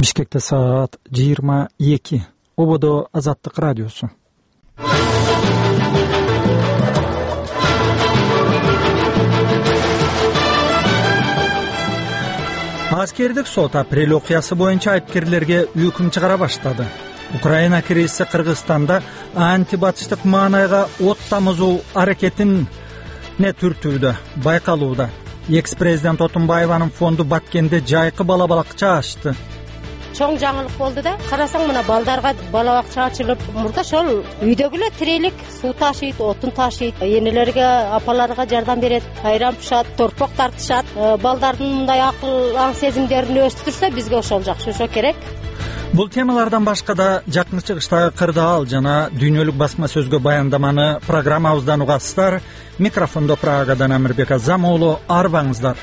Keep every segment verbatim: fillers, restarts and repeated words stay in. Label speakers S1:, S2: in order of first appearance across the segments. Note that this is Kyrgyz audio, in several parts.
S1: Бишкекте саат жыйырма эки. Ободо Азаттык радиосу. Аскердик сот апрель окуясы боюнча айыпкерлерге өкүм чыгара баштады. Украина кризиси Кыргызстанда антибатыштык маанайга от тамызуу аракетине түртүүдө байкалууда. Экс-президент Отунбаеванын фонду Баткенде жайкы бала балакча ачты.
S2: Чоң жаңылык болду да. Карасаң мына балдарга бала бакча ачылып, мурда ошол үйдөгүлөр тирелик суу ташыйт, отун ташыйт, энелерге, апаларга жардам берет, айран пышат, торпок тартышат. Балдардын мындай акыл, аң сезимдерин өстүрсө бизге ошол жакшы, ошо керек.
S1: Бул темалардан башка да жакын чыгыштагы кырдаал жана дүйнөлүк басма сөзгө баяндаманы программабыздан угасыздар. Микрофондо Прагадан Амирбек Азам уулу, арбаңыздар.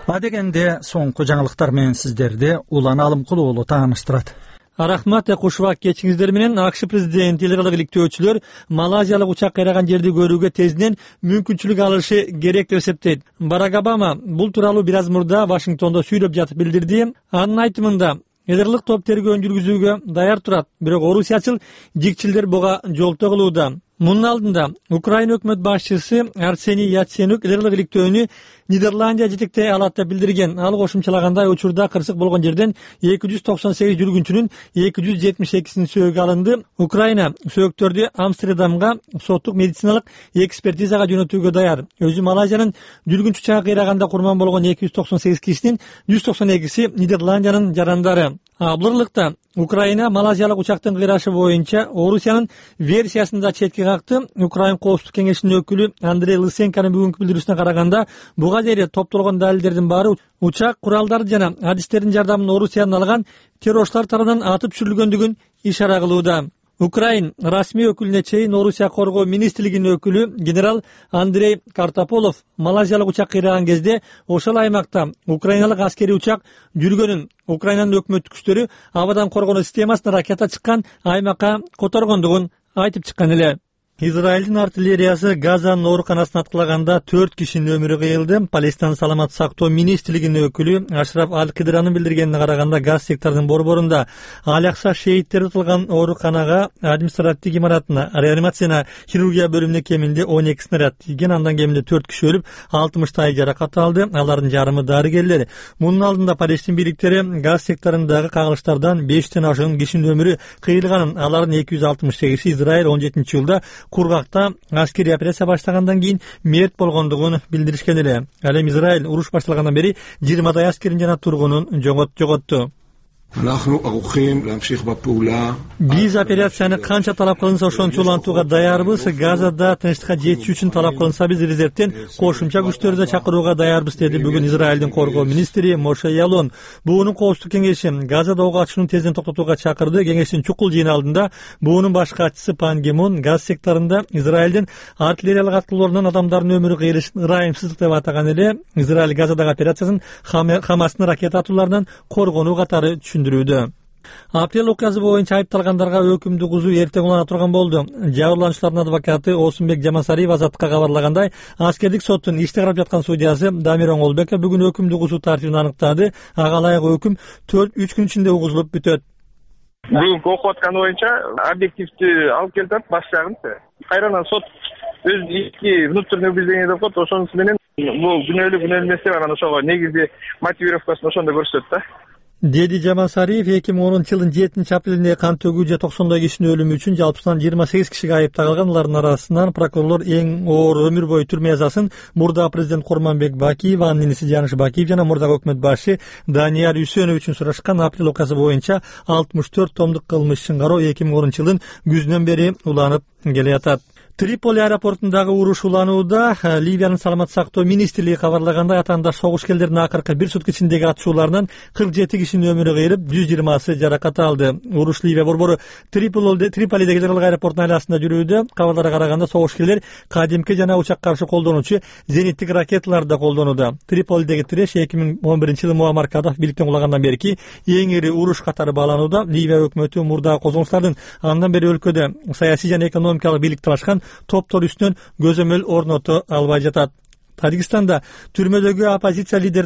S1: Адегенде соңку жаңылыктар менен сиздерди Улан Алымкулуу уулу тааныштырат.
S3: Рахмат, кушубак кечиңиздер менен. АКШ президенти эл кылык иликтөөчүлөр малайзиялык учак кайраган жерди көрүүгө тезинен мүмкүнчүлүк алышы керек деп эсептейт. Барак Обама бул тууралуу бир аз мурда Вашингтондо сүйлөп жатып билдирди. Анын айтымында эл кылык топ тергөөнү жүргүзүүгө даяр турат, бирок орусиячыл жикчилдер буга жолтоо кылууда. Мунун алдында Украина өкмөт башчысы Арсений Яценюк эл кылык иликтөөнү Нидерландия жетектей алат деп билдирген. Ал кошумчалагандай учурда кырсык болгон жерден эки жүз токсон сегиз жүргүнчүнүн эки жүз жетимиш экисинин сөөгү алынды. Украина сөөктөрдү Амстердамга соттук медициналык экспертизага жөнөтүүгө даяр. Өзү Малайзиянын жүргүнчү учагы кыйраганда курман болгон эки жүз токсон сегиз кишинин жүз токсон экиси Нидерландиянын жарандары. Абылырлыкта Украина Малайзиялык учактын кыйрашы боюнча Орусиянын версиясында четке какты. Украин коопсуздук кеңешинин өкүлү Андрей Лысенконун бүгүнкү билдирүүсүнө караганда, буга дейин топтолгон далилдердин баары учак куралдары жана адистердин жардамын Орусиянын алган террорчулар тарабынан атып түшүрүлгөндүгүн ишара кылууда. Украин расмий өкүлүнө чейин Орусия коргоо министрлигинин өкүлү генерал Андрей Картополов Малайзиялык учак кыйраган кезде ошол аймакта украиналык аскерий учак жүргөнүн, Украинанын өкмөттүк күчтөрү абадан коргонуу системасына ракета чыккан аймакка которгондугун айтып чыккан эле. Израилдин артиллериясы Газанын ооруканасына аткылаганда төрт кишинин өмүрү кыйылды. Палестин саламат сактоо министрлигинин өкүлү Ашраф Аль-Кидранын билдиргенине караганда, газ секторунун борборунда Алякса шейиттери тылган ооруканага административдик имаратына, реанимацияна, хирургия бөлүмүнө кеминде он эки снаряд тийген. Андан кеминде төрт киши өлүп, алтымыштай жаракат алды. Алардын жарымы дарыгерлер. Мунун алдында Палестин бийликтери газ секторундагы кагылыштардан бештен ашуун кишинин өмүрү кыйылганын, алардын эки жүз алтымыш сегизи Израиль он жетинчи жылда Кургакта аскерий операция баштагандан кийин мерт болгондугун билдиришкен эле. Ал эми Израиль уруш башталгандан бери жыйырмадай аскерин жана тургунун жоготту. Биз операцияны канча талап кылынса ошончо улантууга даярбыз. Газада тынчтыкка жетишүү үчүн талап кылынса биз резервден кошумча күчтөрдү да чакырууга даярбыз, деди бүгүн Израилдин коргоо министри Моше Ялон. Буунун коопсуздук кеңеши Газада ок ачууну тезден токтотууга чакырды. Кеңештин чукул жыйыны алдында буунун баш катчысы Пан Ги Мун газ секторунда Израилдин артиллериялык аткылоорунан адамдардын өмүрү кыйылышын ырайымсыздык деп атаган эле. Израиль Газадагы операциясын Хамастын ракета атууларынан коргонуу катары түшүндүрүүдө. Апрель окуясы боюнча айыпталгандарга өкүмдү кузуу эртең улана турган болду. Жабырлануучулардын адвокаты Осунбек Жамасариев Азаттыкка кабарлагандай, аскердик соттун ишти карап жаткан судьясы Дамир Оңолбеков бүгүн өкүмдү кузуу тартибин аныктады. Ага ылайык өкүм үч күн ичинде угузулуп бүтөт.
S4: Бүгүнкү окуп аткан боюнча объективдүү алып келип баш жагын. Кайрадан сот өз ички внутренний убеждение деп коет, ошонусу менен бул күнөөлүү күнөөлүү эмес деп анан ошого негизи мотивировкасын ошондо көрсөтөт да.
S3: Деди Жамасариев эки миң онунчу жылдын жетинчи апрелинде кан төгүү же токсондой кишинин өлүмү үчүн жалпысынан жыйырма сегиз кишиге айып тагылган. Алардын арасынан прокурорлор эң оор өмүр бою түрмө язасын мурдагы президент Курманбек Бакиев, анын иниси Жаныш Бакиев жана мурдагы өкмөт башы Данияр Үсөнов үчүн сурашкан. Апрель окуясы боюнча алтымыш төрт томдук кылмыш ишин кароо эки миң онунчу жылдын күзүнөн бери уланып келе жатат. Триполи аэропортундагы уруш уланууда. Ливиянын саламат сактоо министрлиги кабарлагандай, атаандаш согушкерлердин акыркы бир сутка ичиндеги атышууларынан кырк жети кишинин өмүрү кыйылып, жүз жыйырмасы жаракат алды. Уруш Ливия борбору Триполидеги эл кылык аэропортунун айласында жүрүүдө. Кабарларга караганда, согушкерлер кадимки жана учак каршы колдонуучу зениттик ракеталарды да колдонууда. Триполидеги тиреш эки миң он биринчи жылы Муаммар Каддафи бийликтен кулагандан берки эң ири уруш катары бааланууда. Ливия өкмөтү мурдагы козголуштардын андан бери өлкөдө саясий жана экономикалык бийлик талашкан топтор үстүнөн көзөмөл орното албай жатат. Тажикстанда түрмөдөгү оппозиция лидери